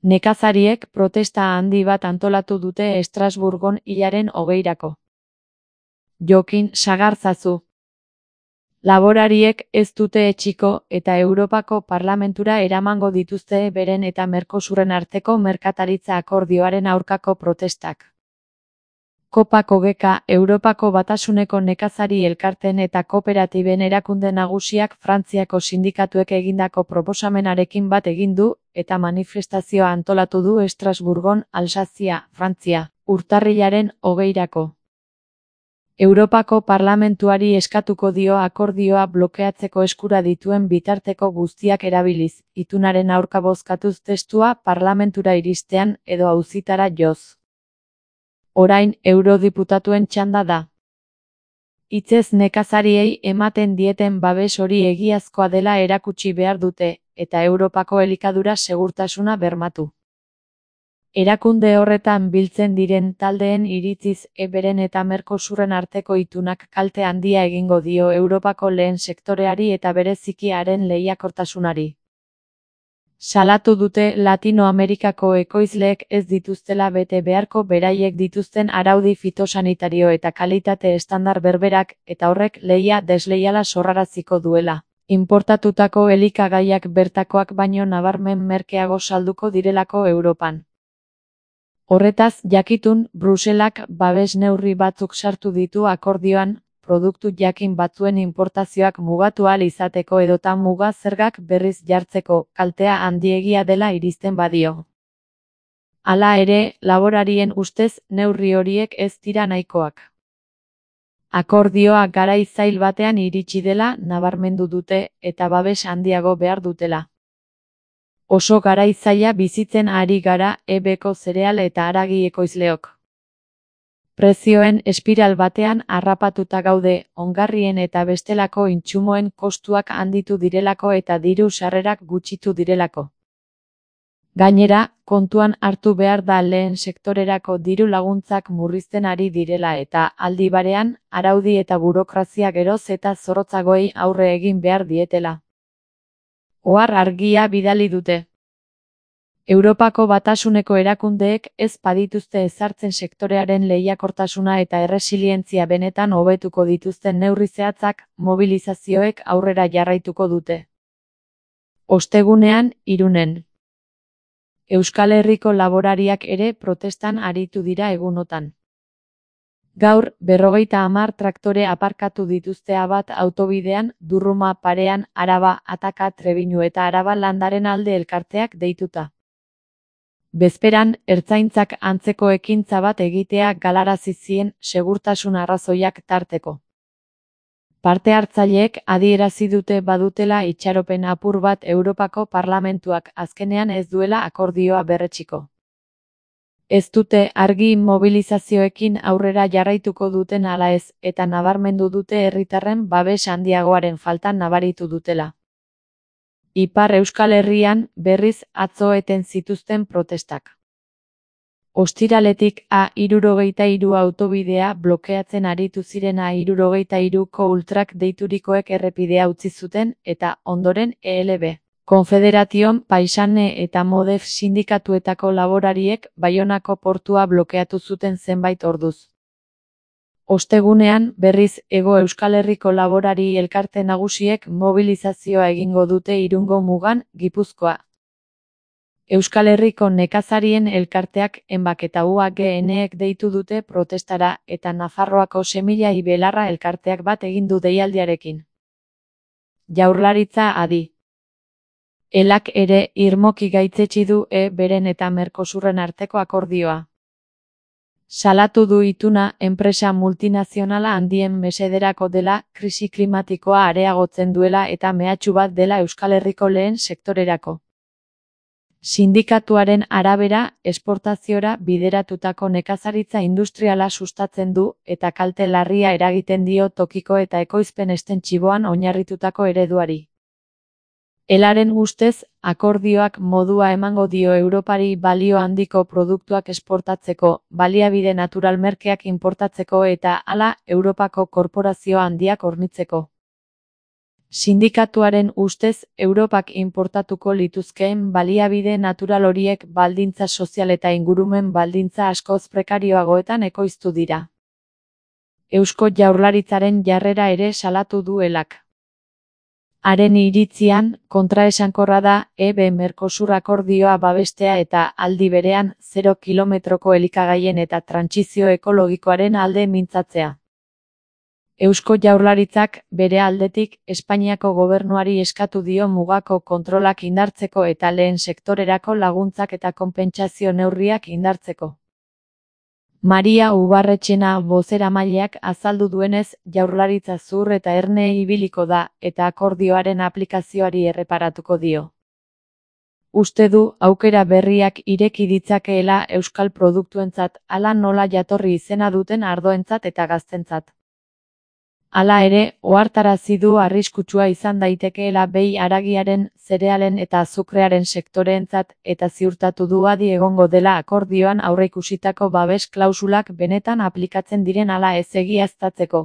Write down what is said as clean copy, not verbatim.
Nekazariek protesta handi bat antolatu dute Estrasburgon hilaren 20-rako. Jokin sagartzazu. Laborariek ez dute etsiko eta Europako Parlamentura eramango dituzte beren eta Mercosurren arteko merkataritza akordioaren aurkako protestak. COPA-COGECA, Europako Batasuneko nekazari elkarteen eta kooperatiben erakunde nagusiak Frantziako sindikatuek egindako proposamenarekin bat egin du eta manifestazioa antolatu du Estrasburgon, Alsazia, Frantzia, urtarrilaren 20-rako. Europako Parlamentuari eskatuko dio akordioa blokeatzeko eskura dituen bitarteko guztiak erabiliz, itunaren aurka bozkatuz testua Parlamentura iristean edo auzitara joz. Orain eurodiputatuen txanda da. Hitzez nekazariei ematen dieten babes hori egiazkoa dela erakutsi behar dute, eta Europako elikadura segurtasuna bermatu. Erakunde horretan biltzen diren taldeen iritziz beren eta Mercosurren arteko itunak kalte handia egingo dio Europako lehen sektoreari eta bereziki haren lehiakortasunari. Salatu dute Latinoamerikako ekoizleek ez dituztela bete beharko beraiek dituzten araudi fitosanitario eta kalitate estandar berberak eta horrek lehia desleiala sorraraziko duela. Inportatutako elikagaiak bertakoak baino nabarmen merkeago salduko direlako Europan. Horretaz, jakitun, Bruselak babes neurri batzuk sartu ditu akordioan, produktu jakin batzuen inportazioak mugatu ahal izateko edota muga zergak berriz jartzeko, kaltea handiegia dela irizten badio. Hala ere, laborarien ustez, neurri horiek ez dira nahikoak. Akordioa garai zail batean iritsi dela nabarmendu dute eta babes handiago behar dutela. Oso garai zaila bizitzen ari gara ebeko zereal eta haragi ekoizleok. Prezioen espiral batean harrapatuta gaude, ongarrien eta bestelako intsumoen kostuak handitu direlako eta diru sarrerak gutxitu direlako. Gainera, kontuan hartu behar da lehen sektorerako diru laguntzak murrizten ari direla eta aldi barean, araudi eta burokrazia geroz eta zorrotzagoei aurre egin behar dietela. Ohar argia bidali dute. Europako Batasuneko erakundeek ez badituzte ezartzen sektorearen lehiakortasuna eta erresilientzia benetan hobetuko dituzten neurri zehatzak, mobilizazioek aurrera jarraituko dute. Ostegunean, Irunen. Euskal Herriko laborariak ere protestan aritu dira egunotan. Gaur, 50 traktore aparkatu dituzte Abat autobidean, Durruma parean, Araba, Ataka, Trebiñu eta Araba landaren alde elkarteak deituta. Bezperan, ertzaintzak antzeko ekintza bat egitea galarazi zien segurtasun arrazoiak tarteko. Parte hartzaileek adierazi dute badutela itxaropen apur bat Europako Parlamentuak azkenean ez duela akordioa berretsiko. Ez dute argi mobilizazioekin aurrera jarraituko duten ala ez eta nabarmendu dute herritarren babes handiagoaren falta nabaritu dutela. Ipar Euskal Herrian berriz atzo eten zituzten protestak. Ostiraletik A63 autobidea blokeatzen aritu ziren A63ko ultrak deiturikoek errepidea utzi zuten eta ondoren ELB. Konfederation Paisane eta Modef sindikatuetako laborariek Baionako portua blokeatu zuten zenbait orduz. Ostegunean, berriz, Hego Euskal Herriko laborari elkarte nagusiek mobilizazioa egingo dute Irungo mugan, Gipuzkoa. Euskal Herriko nekazarien elkarteak Enbak eta UAGNek deitu dute protestara eta Nafarroako Semilla y Belarra elkarteak bat egin du deialdiarekin. Jaurlaritza adi. Elak ere irmoki gaitzetsi du beren eta Mercosurren arteko akordioa. Salatu du ituna enpresa multinazionala handien mesederako dela, krisi klimatikoa areagotzen duela eta mehatxu bat dela Euskal Herriko lehen sektorerako. Sindikatuaren arabera, esportaziora bideratutako nekazaritza industriala sustatzen du eta kalte larria eragiten dio tokiko eta ekoizpen estentxiboan oinarritutako ereduari. Elaren ustez, akordioak modua emango dio Europari balio handiko produktuak esportatzeko, baliabide natural merkeak inportatzeko eta hala Europako korporazio handiak hornitzeko. Sindikatuaren ustez, Europak inportatuko lituzkeen baliabide natural horiek baldintza sozial eta ingurumen baldintza askoz prekarioagoetan ekoiztu dira. Eusko Jaurlaritzaren jarrera ere salatu duelak. Haren iritzian, kontraesankorra da EB-Mercosur akordioa babestea eta aldi berean 0 kilometroko elikagaien eta trantsizio ekologikoaren alde mintzatzea. Eusko Jaurlaritzak, bere aldetik, Espainiako gobernuari eskatu dio mugako kontrolak indartzeko eta lehen sektorerako laguntzak eta konpentsazio neurriak indartzeko. Maria Ubarretxena bozeramaileak azaldu duenez, Jaurlaritza zur eta erne ibiliko da, eta akordioaren aplikazioari erreparatuko dio. Uste du, aukera berriak ireki ditzakeela euskal produktuentzat, hala nola jatorri izena duten ardoentzat eta gaztentzat. Hala ere, ohartarazi du arriskutsua izan daitekeela behi haragiaren, zerealen eta azukrearen sektoreentzat, eta ziurtatu du adi egongo dela akordioan aurreikusitako babes klausulak benetan aplikatzen diren ala ez egiaztatzeko.